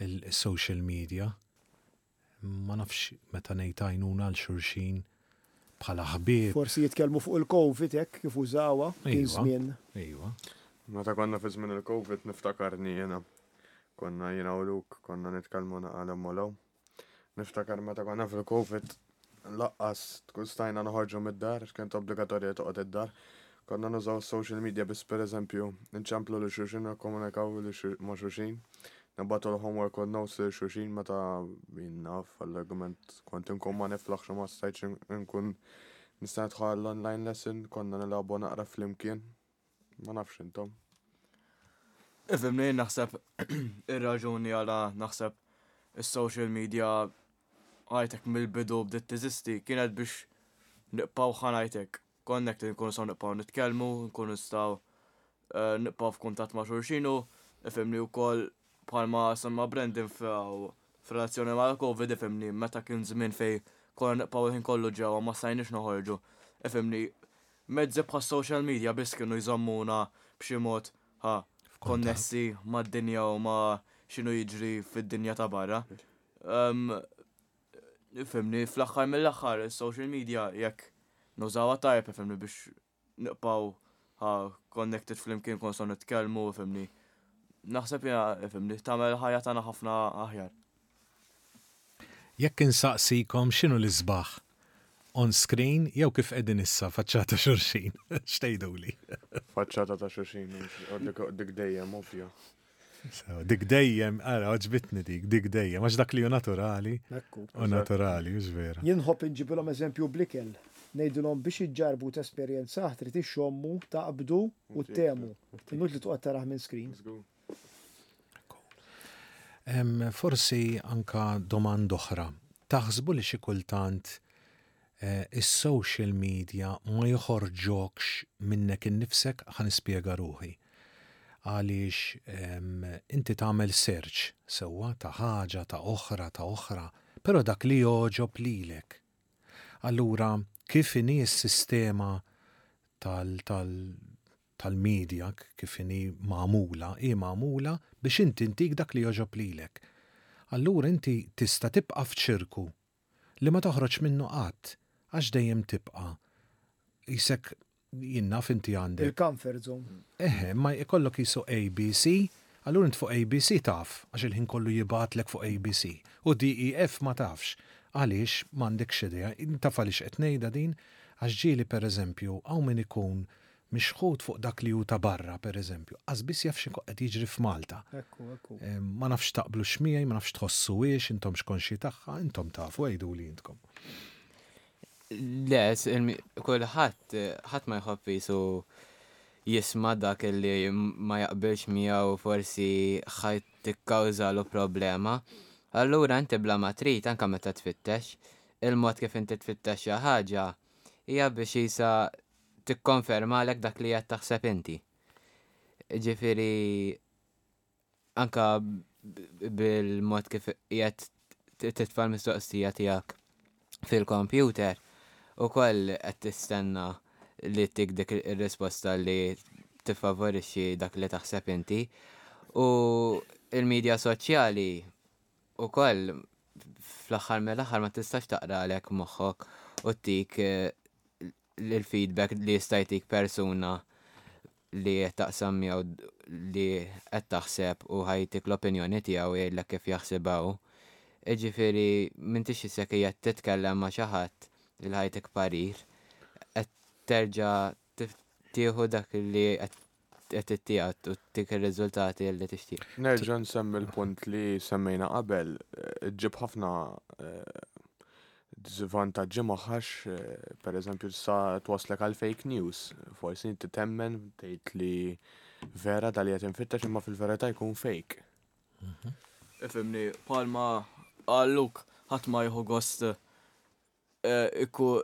il-social media? Ma nafx meta ngħid għajnuna għal xulxin bħala ħbieb. Forsi jitkellmu fuq il-Covid hekk kif użawha kien żmien. Iva. Meta konna fi żmien il-Covid niftakarni jiena. Konna jiena u Luke konna nitkellmu naqalem u Niftakar meta konna fil-Covid laqqas tkun stajna noħorġu mid-dar, għax kienet obbligatorja toqgħod id-dar. Konna nużaw social media biss pereżempju nċemplu lil xulxin nikkomunikaw ma' xulxin, nibagħtu l-homework u notes lil xulxin meta jien naf għall-argument kont inkun ma niflaħx u ma stajtx inkun nista' nidħol għall-online lesson, konna nilagħbu naqra flimkien. Ma nafx intom. Ifhimni, naħseb ir-raġuni għala naħseb is-social media għajtek mill-bidu bdiet teżisti kienet biex nibqgħu ħanajtek connected nkunu nistgħu nibqgħu nitkellmu, nkunu nistgħu eh, nibqgħu f'kuntatt ma' xulxin u ifhimni wkoll bħalma semma Brandon f'relazzjoni mal-Covid ifhimni meta kien żmien fejn konna nibqgħu il-ħin kollu ġewwa ma stajniex noħorġu. Ifhimni Mezzi bħas-social media biss kienu jżommuna b'xi mod ha konnessi mad-dinja u ma' x'inhu jiġri fid-dinja ta' barra. Fimni, fl-aħħar mill-aħħar is-social media jekk nużawha tajjeb fimni biex nibqgħu ha connected flimkien nkunu nistgħu nitkellmu fimni. Naħseb jiena fimni tagħmel il-ħajja tagħna ħafna aħjar. Jekk insaqsikom x'inhu l-isbaħ? On screen jew kif qegħdin issa faċċata xulxin? X'tgħiduli? Faċċata ta' xulxin, dik dejjem ovvja. Dik dejjem, ara, għoġbitni dik, dik dejjem, għax dak li hu naturali. Ekku. U naturali, hux vera. Jien nħobb inġibilhom eżempju bl-ikel. Ngħidilhom biex iġġarrbu tesperjenzah trid ixxommu, taqbdu u ttemu. Inutli toqgħod tarah minn screen. Forsi anka domanda oħra. Taħsbu li xi kultant Is-social media ma joħorġokx minnek innifsek? Ħa nispjega ruħi. Għaliex inti tagħmel search sewwa ta' ħaġa, ta' oħra, ta' oħra, però dak li jogħġob lilek. Allura kif inhi s-sistema tal, tal, tal-media kif inhi magħmula, hi magħmula biex inti ntik dak li jogħġob lilek. Allura inti tista' tibqa' f'ċirku li ma toħroġ minnu qatt għax dejjem tibqa' qisek jien naf inti għandek. Il-comfort zone. Eħe, ma jkollok qisu ABC, allura int fuq ABC taf għax il-ħin kollu jibgħatlek fuq ABC u DEF ma tafx. Għaliex m'għandekx idea. Taf għaliex qed ngħidha din? Għax ġieli pereżempju hawn min ikun mixħut fuq dak li hu ta' barra, per eżempju, qas biss jaf x'inhu qed jiġri f'Malta. Ekku, ekku. Ma nafx taqblux miegħi, ma nafx tħossuhiex, intomx konxji tagħha, intom tafu, għiduli intkom. Le, kulħadd, ħadd ma jħobb qisu jisma' dak li ma jaqbilx miegħu forsi ħa tikkawżalu problema. Allura inti bla ma trid anke meta tfittex, il-mod kif inti tfittex xi ħaġa hija biex qisha tikkonfermalek dak li qed taħseb inti. Ġifieri anka bil-mod kif qiegħed titfa' l-mistoqsija tiegħek fil-computer ukoll qed tistenna li tik dik ir-risposta li tiffavorixxi dak li taħseb inti. U il-medja soċjali ukoll fl-aħħar mill-aħħar ma tistax taqralek moħħok u tik l-feedback li jista' jtik persuna li qed taqsam miegħu li qed taħseb u ħa jtik l-opinjoni tiegħu jgħidlek kif jaħsibha hu. Jiġifieri m'intix isek qiegħed titkellem ma' xi ħadd li ħa jtik parir, qed terġa' tieħu dak li qed ittiegħed u ttik ir-riżultati li tixtieq. Nerġa' nsemmi l-punt li semmejna qabel, ġġib ħafna żvantaġġi magħha għax pereżempju tista' twasslek għal fake news. Forsi inti temmen tgħid li vera da li qed infittex imma fil-verità jkun fake. Ifhimni, bħalma qal Luke, ħadd ma jieħu gost iku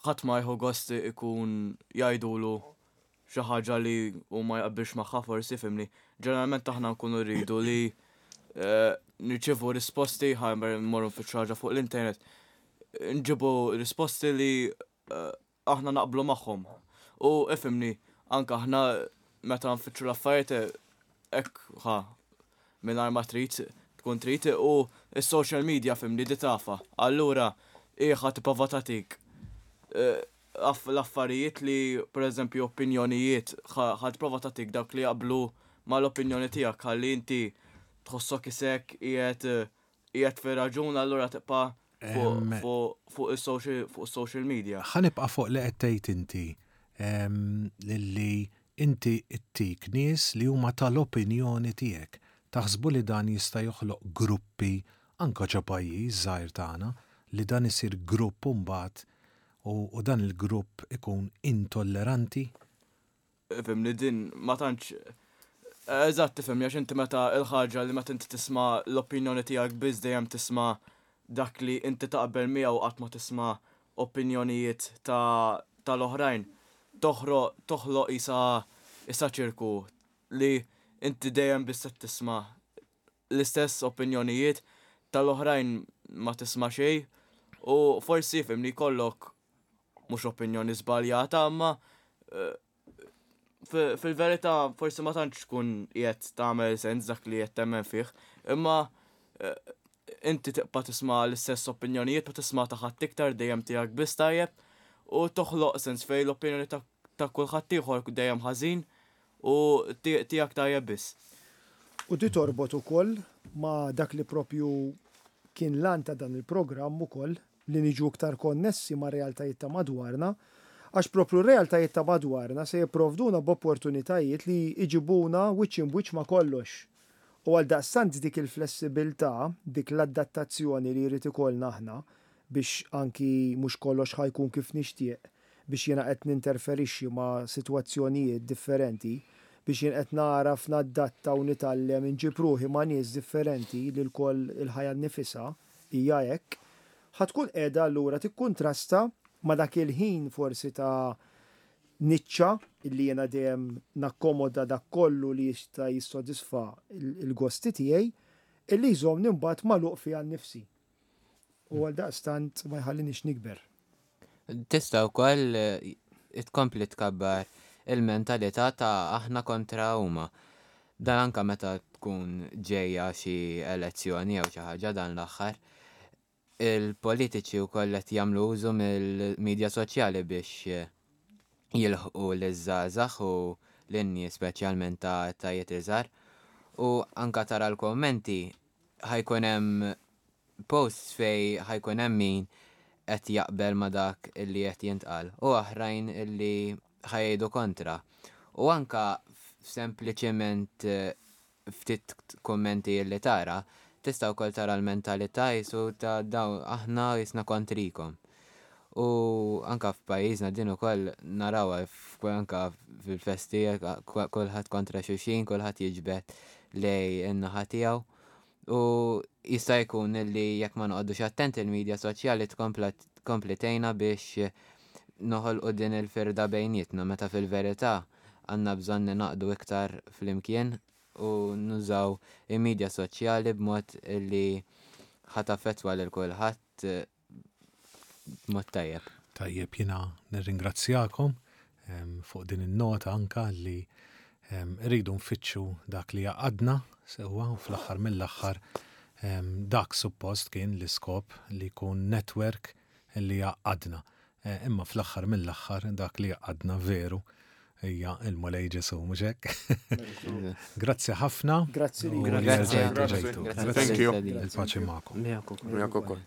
ħadd ma jieħu gost ikun jgħidulu xi ħaġa li hu ma jaqbilx magħha forsi fimni. Ġeneralment aħna nkunu rridu li eh, nirċievu risposti ħa mmorru nfittxu ħaġa fuq l-internet. Nġibu risposti li eh, aħna naqblu magħhom. U ifhimni, anke aħna meta nfittxu l-affarijiet eh, hekk ħa mingħajr ma trid tkun trid u s-social media fimni di tafa. Allura hi ħa tipprova tagħtik eh, l-affarijiet li pereżempju opinjonijiet ħa tipprova tagħtik dawk li jaqblu mal-opinjoni tiegħek ħalli inti tħossok isek qiegħed qiegħed fir-raġun allura tibqa' fuq is-social media. Ħa nibqa' fuq li qed tgħid inti li inti ttik nies li huma tal-opinjoni tiegħek. Taħsbu li dan jista' joħloq gruppi anke ġo pajjiż żgħir tagħna li dan isir grupp imbagħad u dan il-grupp ikun intolleranti? Ifhimni din ma tantx Eżatt tifhimni għax inti meta l-ħaġa li meta inti tisma' l-opinjoni tiegħek biss dejjem tisma' dak li inti taqbel miegħu qatt ma tisma' opinjonijiet ta' tal-oħrajn. Toħroq toħloq qisha qisha ċirku li inti dejjem biss qed tisma' l-istess opinjonijiet tal-oħrajn ma tisma' xejn u forsi fimni jkollok mhux opinjoni żbaljata imma eh, fil-verità forsi ma tantx tkun qiegħed tagħmel sens dak li qed temmen fih, imma eh, inti tibqa' tisma' l-istess opinjonijiet ma tisma' ta' ħadd iktar dejjem tiegħek biss tajjeb u toħloq sens fejn l-opinjoni ta' kulħadd ieħor dejjem ħażin u tiegħek tajjeb biss. U di torbot ukoll ma' dak li propju kien l-għan ta' dan il-programm ukoll li niġu iktar konnessi mar-realtajiet ta' madwarna, għax propju r-realtajiet ta' madwarna se jipprovduna b'opportunitajiet li jġibuna wiċċ imb'wiċċ ma' kollox. U għaldaqstant dik il-flessibilità, dik l-adattazzjoni li jrid ikollna aħna biex anki mhux kollox ħa jkun kif nixtieq, biex jiena qed ninterferixxi ma' sitwazzjonijiet differenti, biex jien qed nagħraf naddatta u nitgħallem inġib ruħi ma' nies differenti li lkoll il-ħajja nnifisha hija hekk, ħa tkun qiegħda allura tikkuntrasta Ma' dak il-ħin forsi ta' niċċa illi jiena dejjem nakkomoda dak kollu li jista' jissodisfa l-gosti tiegħi, illi jżommni mbagħad magħluq fija nnifsi. U għaldaqstant ma jħallinix nikber. Tista' wkoll tkompli tkabbar il-mentalità ta' aħna kontra huma. Dan anke meta tkun ġejja xi elezzjoni jew xi ħaġa dan l-aħħar. Il-politiċi wkoll qed jagħmlu użu mill-midja soċjali biex jilħqu liż-żgħażagħ u lin-nies speċjalment ta' etajiet iżgħar. U anke tara l-kummenti ħa jkun hemm posts fejn ħa jkun hemm min qed jaqbel ma' dak li qed jintqal u oħrajn li ħa jgħidu kontra. U anke sempliċement ftit kummenti li tara, tista' wkoll tara l-mentalità qisu ta' dawn aħna qisna kontrikom. U anka f'pajjiżna din ukoll narawha anka fil-festi kulħadd kontra xulxin, kulħadd jiġbed lejn in-naħa tiegħu. U jista' jkun li jekk ma noqogħdux attenti il-medja soċjali tkompli tgħinna biex noħolqu din il-firda bejnietna meta fil-verità għandna bżonn ninaqdu iktar flimkien u nużaw il-medja soċjali b'mod li ħa taffettwa lil kulħadd b'mod tajjeb. Tajjeb, jiena nirringrazzjakom fuq din in-nota anka li rridu nfittxu dak li jgħaqqadna sewwa u fl-aħħar mill-aħħar dak suppost kien l-iskop li jkun network li jgħaqqadna. Imma fl-aħħar mill-aħħar dak li jgħaqqadna veru hija il-Mulej Ġesu, mhux hekk? Grazzi ħafna. Grazzi li. Grazzi. Thank you. Il-paċi magħkom. Miegħek ukoll. Miegħek ukoll.